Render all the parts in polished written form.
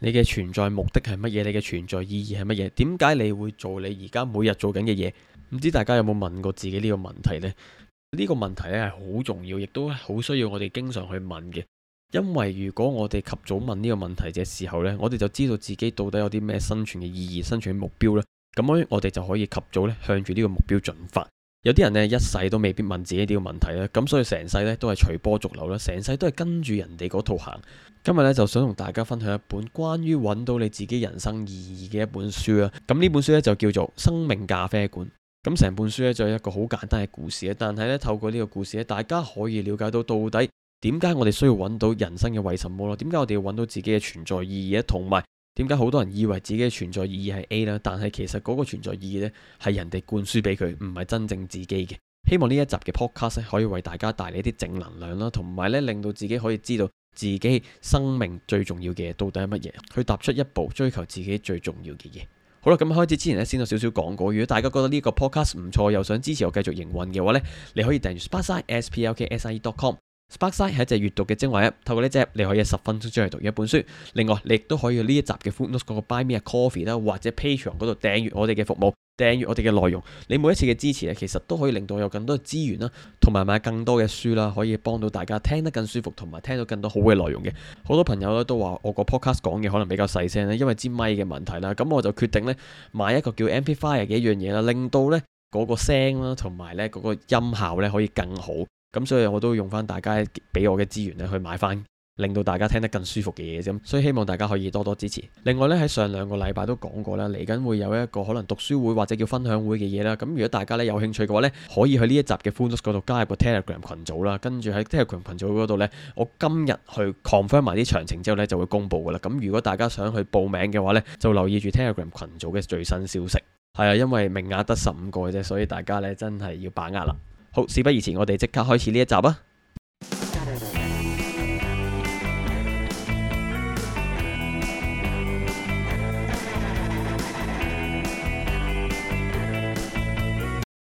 你嘅存在目的係乜嘢？你嘅存在意義係乜嘢？點解你會做你而家每日做緊嘅嘢？唔知大家有冇問過自己呢個問題呢？呢個問題咧係好重要，亦都好需要我哋經常去問嘅。因為如果我哋及早問呢個問題嘅時候呢，我哋就知道自己到底有啲咩生存嘅意義、生存嘅目標呢。咁樣我哋就可以及早咧向住呢個目標進發。有啲人呢，一世都未必問自己呢個問題啦，咁所以成世呢都係隨波逐流啦，成世都係跟住人哋嗰套行。今日呢，就想同大家分享一本關於揾到你自己人生意義嘅一本書啦。咁呢本書呢，就叫做《生命咖啡館》。咁成本書呢，就係一個好簡單嘅故事，但係呢，透過呢個故事呢，大家可以了解到底點解我哋需要揾到人生嘅為什麼咯？點解我哋要揾到自己嘅存在意義咧？同埋點解好多人以為自己嘅存在意義係 A 啦，但係其實嗰個存在意義呢，係人哋灌輸俾佢，唔係真正自己嘅。希望呢一集嘅 podcast 可以為大家帶嚟一啲正能量啦，同埋呢令到自己可以知道自己生命最重要嘅嘢到底係乜嘢，去踏出一步追求自己最重要嘅嘢。好啦，咁開始之前呢，先有少少講過。如果大家覺得呢個 podcast 唔錯，又想支持我繼續營運嘅話呢，你可以訂閱 Sparkside sparkside.com。Sparkside 係一隻閱讀嘅精華 app， 透過呢隻 app 你可以10分鐘去讀一本書。另外，你亦都可以去呢一集嘅 footnotes 嗰個 Buy Me a Coffee 啦，或者 Patreon 嗰度訂閱我哋嘅服務，訂閱我哋嘅內容。你每一次嘅支持其實都可以令到我有更多嘅資源啦，同埋買更多嘅書啦，可以幫到大家聽得更舒服，同埋聽到更多好嘅內容嘅。好多朋友咧都話我個 podcast 講嘅可能比較細聲咧，因為支咪嘅問題啦。咁我就決定咧買一個叫 Amplifier 嘅一樣嘢啦，令到咧嗰個聲啦，同埋咧嗰個音效咧可以更好。咁所以我都用翻大家俾我嘅資源咧去買翻，令到大家聽得更舒服嘅嘢啫。所以希望大家可以多多支持。另外咧喺上2個禮拜都講過啦，嚟緊會有一個可能讀書會或者叫分享會嘅嘢啦。咁如果大家咧有興趣嘅話咧，可以去呢一集嘅 Funos 嗰度加入個 Telegram 群組啦。跟住喺 Telegram 群組嗰度咧，我今日去 confirm 埋啲詳情之後咧就會公布噶啦。咁如果大家想去報名嘅話咧，就留意住 Telegram 群組嘅最新消息。係啊，因為名額得15個嘅啫，所以大家咧真係要把握啦。好，事不宜遲，我哋即刻開始呢一集啊！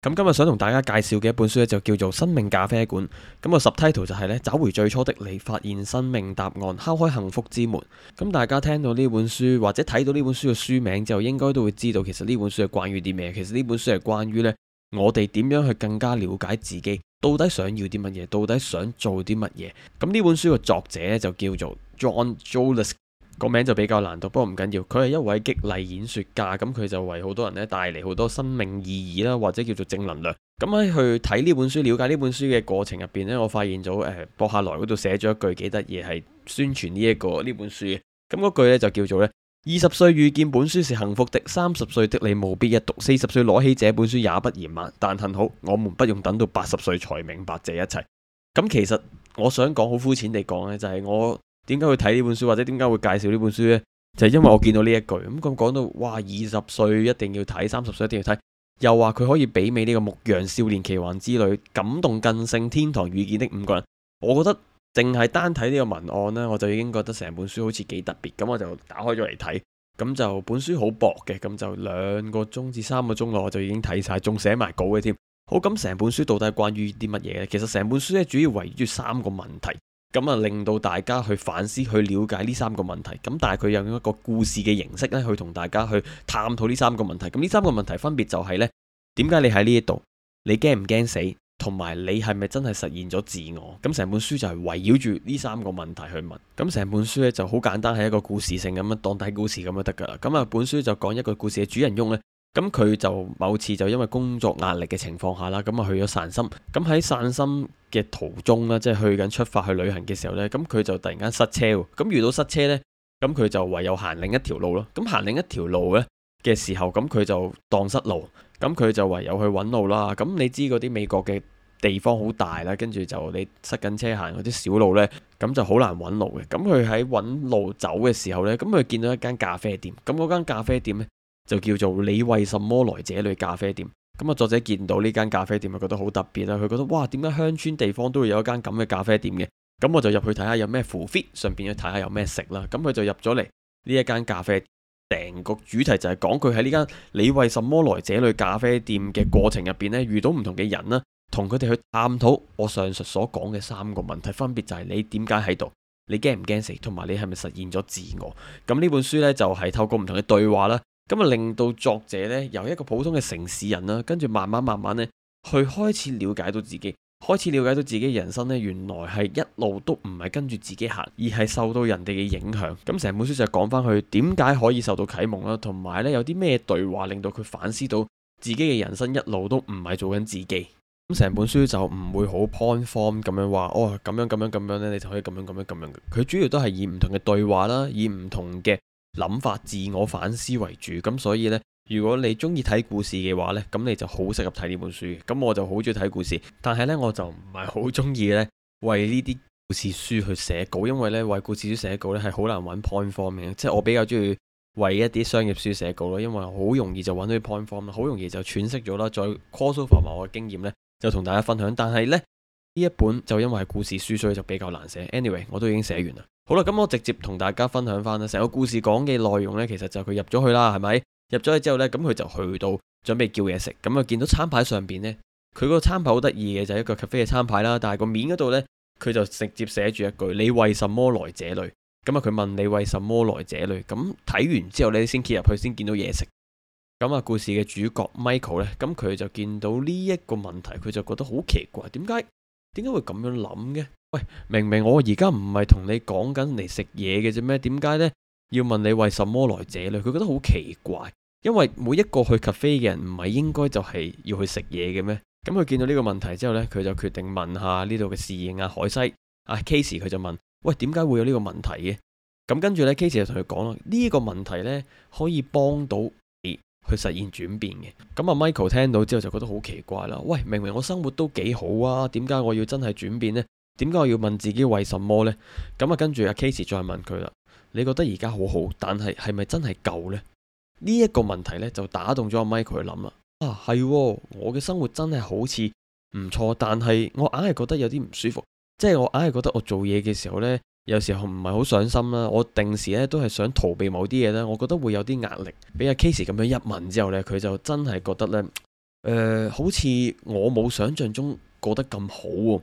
咁今日想同大家介紹嘅一本書咧，就叫做《生命咖啡館》。咁個 subtitle 就係咧，找回最初的你，發現生命答案，敲開幸福之門。咁大家聽到呢本書或者睇到呢本書嘅書名之後，應該都會知道其實呢本書係關於啲咩。其實呢本書係關於咧，我哋點樣去更加了解自己，到底想要啲乜嘢，到底想做啲乜嘢。咁呢本書嘅作者咧就叫做 John Jolis， 個名就比較難讀，不過唔緊要。佢係一位激勵演說家，咁佢就為好多人咧帶嚟好多生命意義啦，或者叫做正能量。咁喺去睇呢本書、了解呢本書嘅過程入邊呢，我發現咗博客來嗰度寫咗一句幾得意，係宣傳呢本書嘅。咁嗰句咧就叫做咧：20歲遇見本書是幸福的，30歲的你務必一讀，40歲攞起這本書也不嫌晚。但幸好，我們不用等到80歲才明白這一切。咁其實我想講好膚淺地講呢，就係我點解會睇呢本書，或者點解會介紹呢本書呢？就係因為我見到呢一句。咁講到哇，20歲一定要睇，30歲一定要睇，又話佢可以媲美呢個《牧羊少年奇幻之旅》、感動更勝天堂遇見的5個人。我覺得淨係單睇呢個文案呢，我就已經覺得成本書好似幾特別。咁我就打開咗嚟睇。咁就本書好薄嘅，咁就2個鐘至3個鐘內我就已經睇晒，仲寫埋稿嘅添。好，咁成本書到底係關於啲乜嘢呢？其實成本書咧主要圍繞住3個問題，咁啊令到大家去反思、去了解呢3個問題。咁但係佢用一個故事嘅形式咧，去同大家去探討呢3個問題。咁呢3個問題分別就係呢：點解你喺呢一度？你驚唔驚死？同埋你係咪真係實現咗自我？咁成本書就係圍繞住呢3個問題去問。咁成本書咧就好簡單，係一個故事性咁樣當睇故事咁就得噶啦。咁啊本書就講一個故事嘅主人翁呢，咁佢就某次就因為工作壓力嘅情況下啦，咁啊去咗散心。咁喺散心嘅途中啦，即係去緊出發去旅行嘅時候呢，咁佢就突然間塞車。咁遇到塞車呢，咁佢就唯有行另一條路咯。咁行另一條路呢嘅時候，咁佢就蕩失路。咁佢就唯有去揾路啦。咁你知嗰啲美國嘅地方好大啦，跟住就你塞緊車行嗰啲小路呢，咁就好難揾路嘅。咁佢喺揾路走嘅時候呢，咁佢見到一間咖啡店。咁嗰間咖啡店呢，就叫做你為什麼來這裡咖啡店。咁啊作者見到呢間咖啡店，覺得好特別啦。佢覺得哇，點解鄉村地方都會有一間咁嘅咖啡店嘅？咁我就入去睇下有咩符 fit，順便去睇下有咩食啦。咁佢就入咗嚟呢一間咖啡店。成個主題就係講佢喺呢間你為什麼來這裡咖啡店嘅過程入邊呢，遇到唔同嘅人啦，同佢哋去探討我上述所講嘅3個問題，分別就係你點解喺度，你驚唔驚死，同埋你係咪實現咗自我。咁呢本書呢，就係透過唔同嘅對話啦，咁啊令到作者呢，由一個普通嘅城市人啦，跟住慢慢呢，去開始了解到自己，開始了解到自己嘅人生呢，原來係一路都唔係跟住自己行，而係受到人哋嘅影響。咁成本書就講翻佢點解可以受到啟蒙啦，同埋呢有啲咩對話令到佢反思到自己嘅人生一路都唔係做緊自己。咁成本書就唔會好 point form 咁樣話，哦咁樣呢，你就可以咁樣。佢主要都係以唔同嘅對話啦，以唔同嘅諗法、自我反思為主。咁所以呢，如果你中意睇故事嘅話呢，咁你就好適合睇呢本書。咁我就好中意睇故事，但係呢，我就唔係好中意呢為呢啲故事書去寫稿，因為呢，為故事書寫稿呢係好難揾 point form 嘅。即係我比較中意為一啲商業書寫稿咯，因為好容易就揾到啲 point form 啦，好容易就詮釋咗啦，再 cross over 埋我嘅經驗呢，就同大家分享。但係呢一本就因為係故事書，所以就比較難寫。Anyway， 我都已經寫完啦。好啦，咁我直接同大家分享翻啦，成個故事講嘅內容呢，其實就佢入咗去啦，係咪？入咗去之後呢，咁佢就去到準備叫嘢食，咁啊見到餐牌上邊呢，佢嗰個餐牌好得意嘅，就係一個 cafe 嘅餐牌啦，但係個面嗰度呢，佢就直接寫住一句：你為什麼來這裏？咁啊佢問你為什麼來這裏？咁睇完之後呢，先揭入去先見到嘢食。咁啊故事嘅主角 Michael 呢，咁佢就見到呢一個問題，佢就覺得好奇怪，點解會咁樣諗嘅？喂，明明我而家唔係同你講緊嚟食嘢嘅啫咩？點解呢要問你為什麼來這裏？佢覺得好奇怪，因為每一個去 cafe 嘅人唔係應該就係要去食嘢嘅咩？咁佢見到呢個問題之後呢，佢就決定問下呢度嘅侍應海西Casey，佢就問：喂，點解會有呢個問題嘅？咁跟住呢 Casey 就同佢講啦，呢個問題呢可以幫到你去實現轉變嘅。咁啊 Michael 聽到之後就覺得好奇怪啦，喂，明明我生活都幾好啊，點解我要真係轉變呢？點解我要問自己為什麼呢？咁啊跟住Casey 再問佢啦，你覺得而家好好，但係係咪真係夠呢？呢一個問題呢，就打動咗阿 Michael 去諗啦。係，我嘅生活真係好似唔錯，但係我硬係覺得有啲唔舒服，即係我硬係覺得我做嘢嘅時候呢，有時候唔係好上心啦。我定時呢都係想逃避某啲嘢呢，我覺得會有啲壓力。俾阿 Casey 咁樣一問之後呢，佢就真係覺得呢，好似我冇想象中過得咁好喎。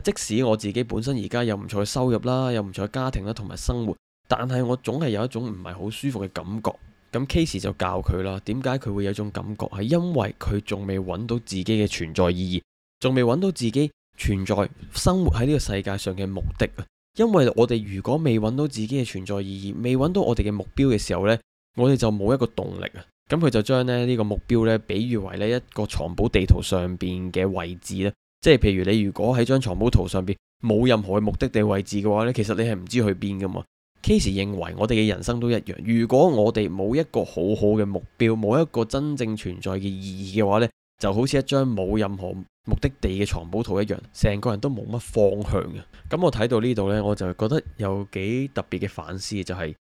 即使我自己本身而家有唔錯嘅收入啦，有唔錯嘅家庭啦，同埋生活，但係我總係有一種唔係好舒服嘅感覺。咁 Casey 就教佢啦，點解佢會有一種感覺？係因為佢仲未揾到自己嘅存在意義，仲未揾到自己存在生活喺呢個世界上嘅目的啊！因為我哋如果未揾到自己嘅存在意義，未揾到我哋嘅目標嘅時候呢，我哋就冇一個動力啊！咁佢就將呢個目標呢，比喻為呢一個藏寶地圖上邊嘅位置咧。即係譬如你如果喺張藏寶圖上邊冇任何嘅目的地位置嘅話呢，其實你係唔知去邊噶嘛。Casey 認為我哋嘅人生都一樣，如果我哋冇一個好好嘅目標，冇一個真正存在嘅意義嘅話呢，就好似一張冇任何目的地嘅藏寶圖一樣，成個人都冇乜方向嘅。咁我睇到呢度呢，我就覺得有幾特別嘅反思，就係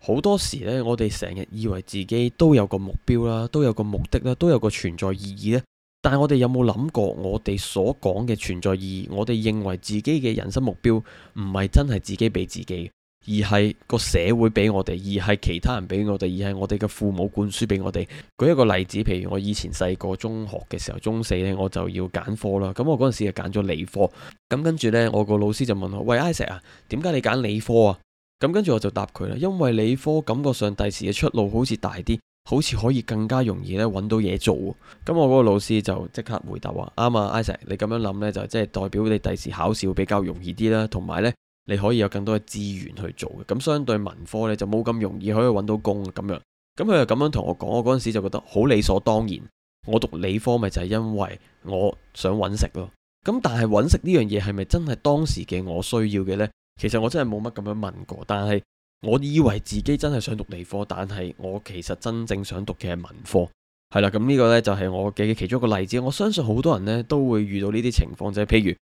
好多時呢，我哋成日以為自己都有個目標啦，都有個目的啦，都有個存在意義呢。但係我哋有冇諗過，我哋所講嘅存在意義，我哋認為自己嘅人生目標，唔係真係自己俾自己，而係個社會俾我哋，而係其他人俾我哋，而係我哋嘅父母灌輸俾我哋。舉一個例子，譬如我以前細個中學嘅時候，中四呢，我就要揀科啦。咁我嗰陣時就揀咗理科。咁跟住呢，我個老師就問我：喂，Isaac 啊，點解你揀理科啊？咁跟住我就答佢啦，因為理科感覺上第時嘅出路好似大啲。好似可以更加容易咧揾到嘢做。咁我嗰個老師就即刻回答話：啱啊，Isaac，你咁樣諗呢，就即係代表你第時考試會比較容易啲啦，同埋呢，你可以有更多嘅資源去做嘅。咁相對文科呢，就冇咁容易可以揾到工咁樣。咁佢就咁樣同我講，我嗰陣時就覺得好理所當然。我讀理科咪就係因為我想揾食咯。咁但係揾食呢樣嘢係咪真係當時嘅我需要嘅呢？其實我真係冇乜咁樣問過，但係我以為自己真係想讀理科，但係我其實真正想讀嘅係文科。係啦，咁呢個呢就係我嘅其中一個例子。我相信好多人呢都會遇到呢啲情況，就係譬如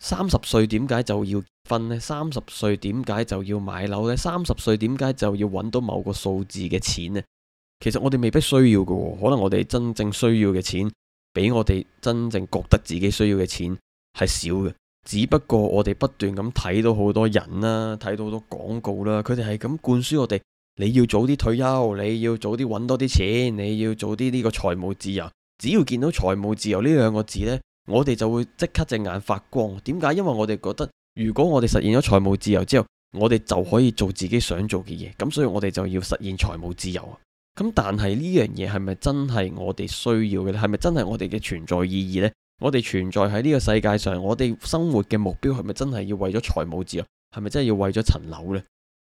30歲點解就要結婚呢？30歲點解就要買樓呢？30歲點解就要揾到某個數字嘅錢呢？其實我哋未必需要嘅，可能我哋真正需要嘅錢，比我哋真正覺得自己需要嘅錢係少嘅。只不過我哋不斷咁睇到好多人啦，睇到好多廣告啦，佢哋係咁灌輸我哋，你要早啲退休，你要早啲揾多啲錢，你要早啲呢個財務自由。只要見到財務自由呢兩個字呢，我哋就會即刻隻眼發光。點解？因為我哋覺得，如果我哋實現咗財務自由之後，我哋就可以做自己想做嘅嘢，咁所以我哋就要實現財務自由啊。咁但係呢樣嘢係咪真係我哋需要嘅咧？係咪真係我哋嘅存在意義呢？我哋存在喺呢個世界上，我哋生活嘅目標係咪真係要為咗財務自由？係咪真係要為咗層樓呢？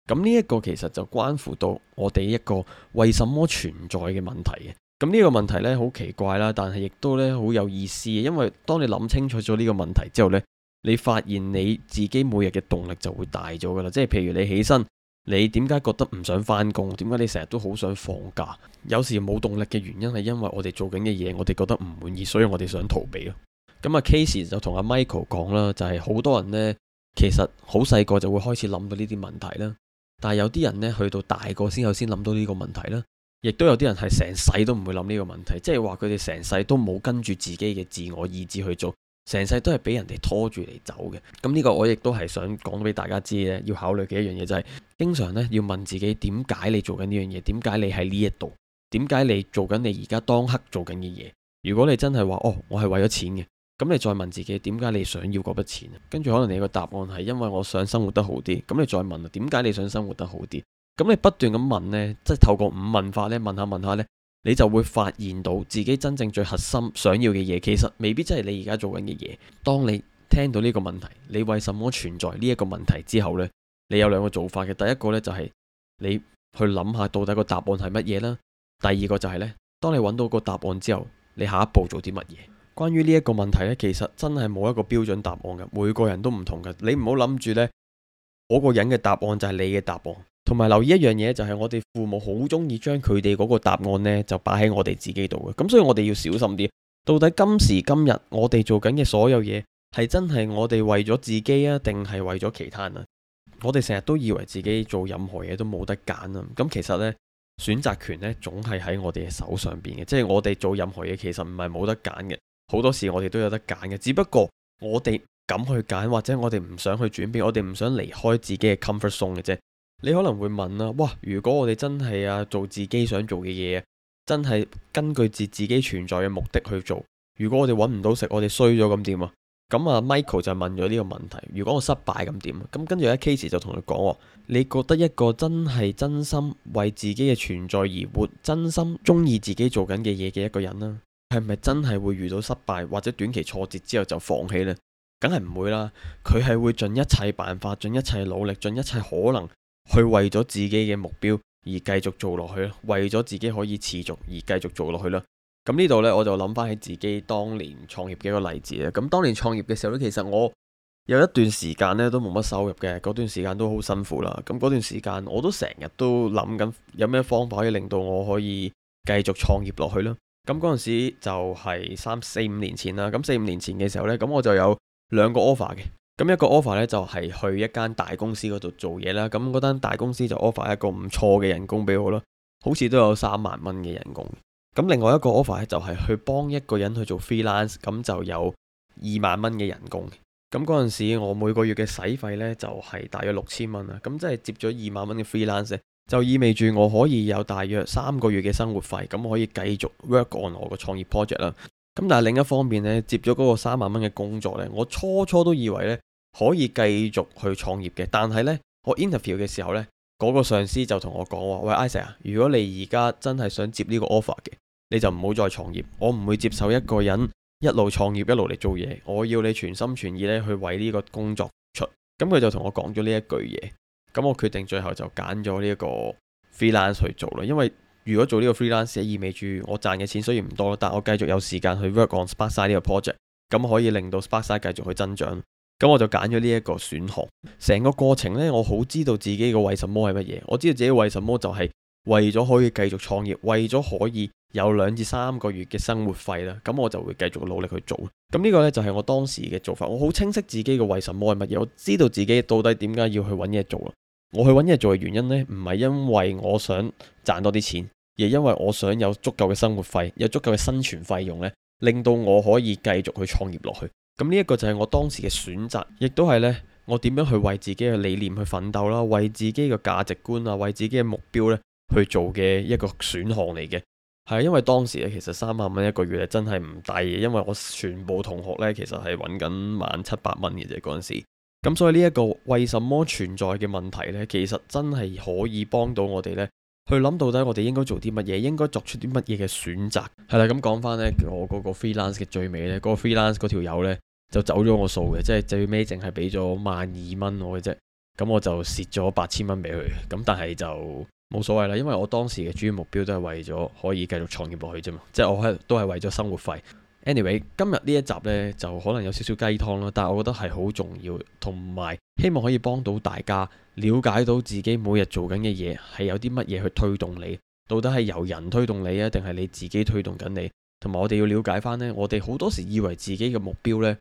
咁呢一個其實就關乎到我哋一個為什麼存在嘅問題嘅。咁呢個問題呢，好奇怪啦，但係亦都呢好有意思嘅，因為當你諗清楚咗呢個問題之後呢，你發現你自己每日嘅動力就會大咗噶啦。即係譬如你起身，你點解覺得唔想返工？點解你成日都好想放假？有時冇動力嘅原因係因為我哋做緊嘅嘢，我哋覺得唔滿意，所以我哋想逃避咯。咁啊，Casey 就同阿 Michael 講啦，就係好多人呢，其實好細個就會開始諗到呢啲問題啦。但係有啲人呢，去到大個先諗到呢個問題啦。亦都有啲人係成世都唔會諗呢個問題，即係話佢哋成世都冇跟住自己嘅自我意志去做，成世都係俾人哋拖住嚟走嘅。咁呢個我亦都係想講俾大家知咧，要考慮嘅一樣嘢就係，經常呢要問自己點解你做緊呢樣嘢，點解你喺呢一度，點解你做緊你而家當刻做緊嘅嘢。如果你真係話我係為咗錢嘅，咁你再問自己點解你想要嗰筆錢，跟住可能你個答案係因為我想生活得好啲，咁你再問點解你想生活得好啲。咁你不斷咁問呢，即係透過五問法呢，問下問下呢，你就會發現到自己真正最核心想要嘅嘢，其實未必真係你而家做緊嘅嘢。當你聽到呢個問題，你為什麼存在呢一個問題之後呢，你有兩個做法嘅。第一個呢，就係你去諗下到底個答案係乜嘢啦。第二個就係呢，當你揾到個答案之後，你下一步做啲乜嘢？關於呢一個問題呢，其實真係冇一個標準答案嘅，每個人都唔同嘅。你唔好諗住呢，嗰個人嘅答案就係你嘅答案。同埋留意一樣嘢，就係我哋父母好中意將佢哋嗰個答案呢就擺喺我哋自己度嘅。咁所以我哋要小心啲。到底今時今日我哋做緊嘅所有嘢係真係我哋為咗自己啊，定係為咗其他人啊？我哋成日都以為自己做任何嘢都冇得揀啊。咁其實呢，選擇權呢總係喺我哋嘅手上邊嘅。即係我哋做任何嘢其實唔係冇得揀嘅，好多時我哋都有得揀嘅。只不過我哋敢去揀，或者我哋唔想去轉變，我哋唔想離開自己嘅 comfort zone 嘅啫。你可能會問啦，哇！如果我哋真係做自己想做嘅嘢，真係根據自己存在嘅目的去做，如果我哋揾唔到食，我哋衰咗咁點啊？咁Michael 就問咗呢個問題，如果我失敗咁點啊？咁跟住咧 Casey 就同佢講，你覺得一個真係真心為自己嘅存在而活，真心中意自己做緊嘅嘢嘅一個人啦，係咪真係會遇到失敗或者短期挫折之後就放棄呢？梗係唔會啦，佢係會盡一切辦法，盡一切努力，盡一切可能，去為咗自己嘅目標而繼續做落去，為咗自己可以持續而繼續做落去啦。咁呢度呢，我就諗翻起自己當年創業嘅一個例子啦。咁當年創業嘅時候呢，其實我有一段時間呢都冇乜收入嘅，嗰段時間都好辛苦啦。咁嗰段時間我都成日都諗緊有咩方法可以令到我可以繼續創業落去啦。咁嗰陣時就係3、4、5年前啦。咁4、5年前嘅時候呢，咁我就有兩個 offer 嘅。咁一個 offer 咧就係去一間大公司嗰度做嘢啦，咁嗰間大公司就 offer 一個唔錯嘅人工俾我啦，好似都有3萬蚊嘅人工。咁另外一個 offer 咧就係去幫一個人去做 freelance，咁就有2萬蚊嘅人工。咁嗰陣時我每個月嘅使費咧就係大約6000蚊啦，咁即係接咗2萬蚊嘅 freelance，就意味住我可以有大約3個月嘅生活費，咁可以繼續 work on 我個創業 project 啦。咁但係另一方面呢，接咗嗰個3萬蚊嘅工作呢，我初都以為呢可以繼續去創業嘅。但係呢，我 interview 嘅時候呢，嗰個上司就同我講話，喂，Isaac 啊，如果你而家真係想接呢個 offer 嘅，你就唔好再創業。我唔會接受一個人一路創業一路嚟做嘢，我要你全心全意呢去為呢個工作出。咁佢就同我講咗呢一句嘢，咁我決定最後就揀咗呢一個 freelance 去做啦，因為如果做呢個 freelance 意味住我賺嘅錢雖然唔多，但我繼續有時間去 work on Sparkside 呢個 project， 咁可以令到 Sparkside 繼續去增長。咁我就揀咗呢一個選項。成個過程呢，我好知道自己嘅為什麼係乜嘢。我知道自己為什麼就係為咗可以繼續創業，為咗可以有2至3個月嘅生活費啦。咁我就會繼續努力去做。咁呢個呢，就係我當時嘅做法。我好清晰自己嘅為什麼係乜嘢，我知道自己到底點解要去揾嘢做啦。我去揾嘢做嘅原因呢，唔係因為我想賺多啲錢，而係因為我想有足夠嘅生活費，有足夠嘅生存費用呢，令到我可以繼續去創業落去。咁呢一個就係我當時嘅選擇，亦都係呢，我點樣去為自己嘅理念去奮鬥啦，為自己嘅價值觀啊，為自己嘅目標呢去做嘅一個選項嚟嘅。係因為當時咧，其實3萬蚊一個月咧真係唔低嘅，因為我全部同學呢，其實係揾緊1,700蚊嘅啫嗰陣時。咁所以呢一個為什麼存在嘅問題呢，其實真係可以幫到我哋呢，去諗到底我哋應該做啲乜嘢，應該作出啲乜嘢嘅選擇。係啦，咁講翻呢，我嗰個 freelance 嘅最尾呢，嗰個 freelance 嗰條友呢，就走咗我數嘅，即係最尾淨係俾咗12,000我嘅啫。咁我就蝕咗8,000蚊俾佢。咁但係就冇所謂啦，因為我當時嘅主要目標都係為咗可以繼續創業落去啫嘛，即係我都係為咗生活費。Anyway，今日呢一集呢，就可能有少少雞湯啦，但係我覺得係好重要，同埋希望可以幫到大家了解到自己每日做緊嘅嘢係有啲乜嘢去推動你，到底係由人推動你啊，定係你自己推動緊你？同埋我哋要了解翻呢，我哋好多時以為自己嘅目標呢，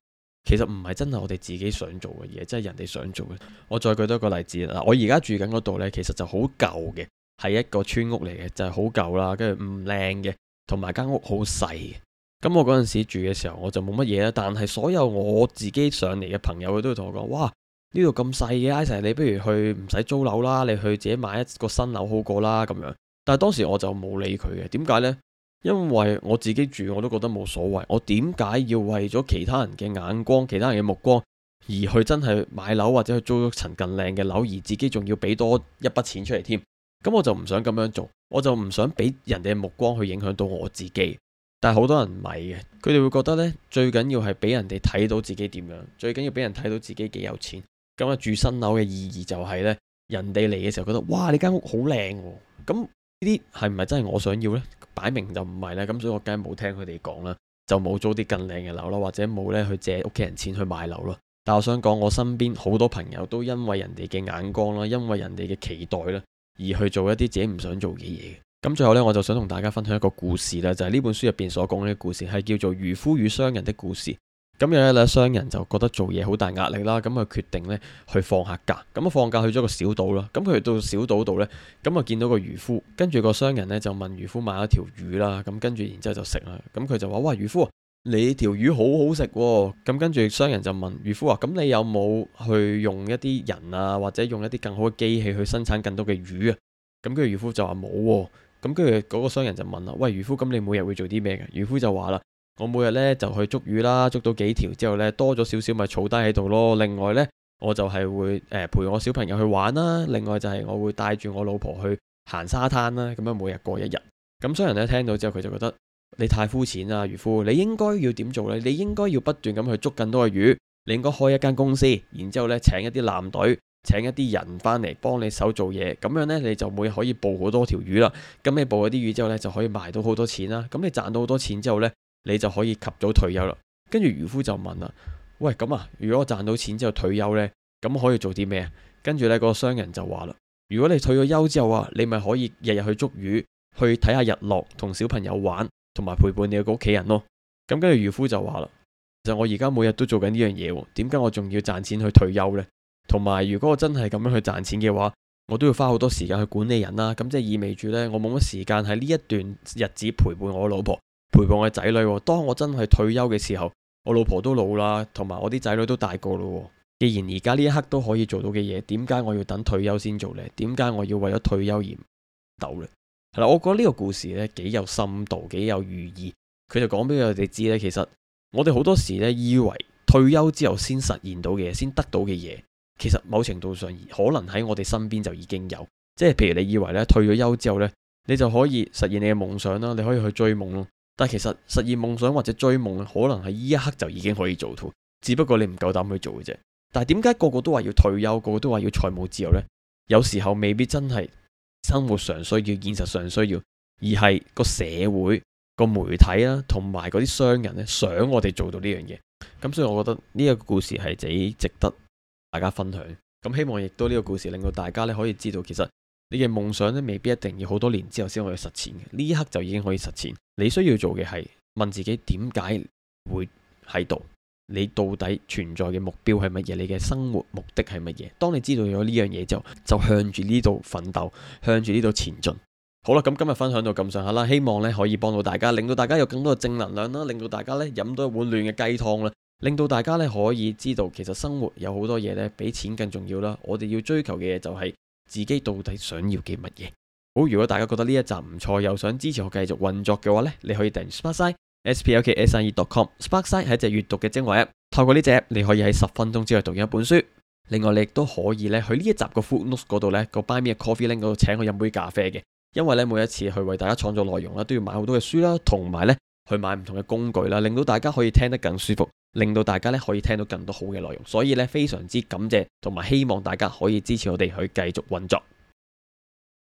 其實唔係真係我哋自己想做嘅嘢，即係人哋想做嘅。我再舉多一個例子啦，我而家住緊嗰度呢，其實就好舊嘅，係一個村屋嚟嘅，就係好舊啦，跟住唔靚嘅，同埋間屋好細嘅。咁我嗰陣時住嘅時候，我就冇乜嘢啦。但係所有我自己上嚟嘅朋友，佢都會同我講：哇，呢度咁細嘅，Isaac，你不如去唔使租樓啦，你去自己買一個新樓好過啦咁樣。但係當時我就冇理佢嘅，點解呢？因為我自己住我都覺得冇所謂。我點解要為咗其他人嘅眼光、其他人嘅目光而去真係買樓或者去租一層更靚嘅樓，而自己仲要俾多一筆錢出嚟添？咁我就唔想咁樣做，我就唔想俾人哋嘅目光去影響到我自己。但係好多人唔係嘅，佢哋會覺得呢，最緊要係俾人哋睇到自己點樣，最緊要俾人睇到自己幾有錢。咁啊，住新樓嘅意義就係呢，人哋嚟嘅時候覺得哇，你間屋好靚喎。咁呢啲係唔係真係我想要呢？擺明就唔係啦。咁所以我梗係冇聽佢哋講啦，就冇租啲更靚嘅樓啦，或者冇呢去借屋企人錢去買樓咯。但我想講，我身邊好多朋友都因為人哋嘅眼光啦，因為人哋嘅期待啦，而去做一啲自己唔想做嘅嘢。咁最後呢，我就想同大家分享一個故事啦，就係呢本書入邊所講嘅故事，係叫做漁夫與商人的故事。咁有一日商人就覺得做嘢好大壓力啦，咁啊決定呢去放下假。咁啊放假去咗個小島啦。咁佢去到小島度呢，咁啊見到個漁夫，跟住個商人呢就問漁夫買咗條魚啦。咁跟住然之後就食啦。咁佢就話：哇，漁夫，你條魚好好食喎。咁跟住商人就問漁夫話：咁你有冇去用一啲人啊，或者用一啲更好嘅機器去生產更多嘅魚啊？咁跟住漁夫就話冇喎。咁跟住嗰個商人就問啦：喂，漁夫，咁你每日會做啲咩嘅？漁夫就話啦：我每日呢就去捉魚啦，捉到幾條之後呢，多咗少少咪儲低喺度咯。另外呢，我就係會陪我小朋友去玩啦。另外就係我會帶住我老婆去行沙灘啦。咁樣每日過一日。咁商人呢聽到之後，佢就覺得你太膚淺啦，漁夫，你應該要點做呢？你應該要不斷咁去捉更多嘅魚。你應該開一間公司，然之後呢請一啲艦隊，請一啲人翻嚟幫你手做嘢，咁樣呢，你就會可以捕好多條魚啦。咁你捕嗰啲魚之後呢，就可以賣到好多錢啦。咁你賺到好多錢之後呢，你就可以及早退休啦。跟住漁夫就問啦：喂，咁啊，如果我賺到錢之後退休呢，咁可以做啲咩啊？跟住呢個商人就話啦：如果你退咗休之後啊，你咪可以日日去捉魚，去睇下日落，同小朋友玩，同埋陪伴你個屋企人咯。咁跟住漁夫就話啦：其實我而家每日都做緊呢樣嘢，點解我仲要賺錢去退休呢？同埋如果我真係咁樣去賺錢嘅話，我都要花好多時間去管理人啦。咁即係意味住呢，我冇乜時間喺呢一段日子陪伴我老婆，陪伴我嘅仔女。當我真係退休嘅時候，我老婆都老啦，同埋我啲仔女都大個咯。既然而家呢一刻都可以做到嘅嘢，點解我要等退休先做呢？點解我要為咗退休而唔鬥呢？係啦，我覺得呢個故事呢幾有深度，幾有寓意。佢就講俾我哋知呢，其實我哋好多時呢以為退休之後先實現到嘅嘢，先得到嘅嘢，其實某程度上可能喺我哋身邊就已經有。即係譬如你以為呢退咗休之後呢，你就可以實現你嘅夢想啦，你可以去追夢咯。但係其實實現夢想或者追夢可能喺呢一刻就已經可以做到，只不過你唔夠膽去做嘅啫。但係點解個個都話要退休，個個都話要財務自由呢？有時候未必真係生活上需要，現實上需要，而係個社會、個媒體啦，同埋嗰啲商人咧，想我哋做到呢樣嘢。咁所以我覺得呢個故事係幾值得大家分享。咁希望亦都呢個故事令到大家咧可以知道，其實你嘅夢想咧未必一定要好多年之後先可以實踐嘅，呢一刻就已經可以實踐。你需要做嘅係問自己點解會喺度，你到底存在嘅目標係乜嘢，你嘅生活目的係乜嘢。當你知道咗呢樣嘢之後，就向住呢度奮鬥，向住呢度前進。好啦，咁今日分享到咁上下啦，希望咧可以幫到大家，令到大家有更多嘅正能量啦，令到大家咧飲到一碗暖嘅雞湯啦，令到大家咧可以知道其實生活有好多嘢咧比錢更重要啦。我哋要追求嘅嘢就係自己到底想要嘅乜嘢。好，如果大家覺得呢一集唔錯，又想支持我繼續運作嘅話咧，你可以訂閱 Sparkside sparkside.com。Sparkside 係一隻閱讀嘅精華 app，透過呢隻 app 你可以喺10分鐘之內讀完一本書。另外你亦都可以咧去呢一集個 footnotes 嗰度咧個 Buy Me a Coffee link 嗰度請我飲杯咖啡嘅，因為咧每一次去為大家創作內容啦，都要買好多嘅書啦，同埋咧去買唔同嘅工具啦，令到大家可以聽得更舒服，令到大家咧可以聽到更多好嘅內容，所以咧非常之感謝同埋希望大家可以支持我哋去繼續運作。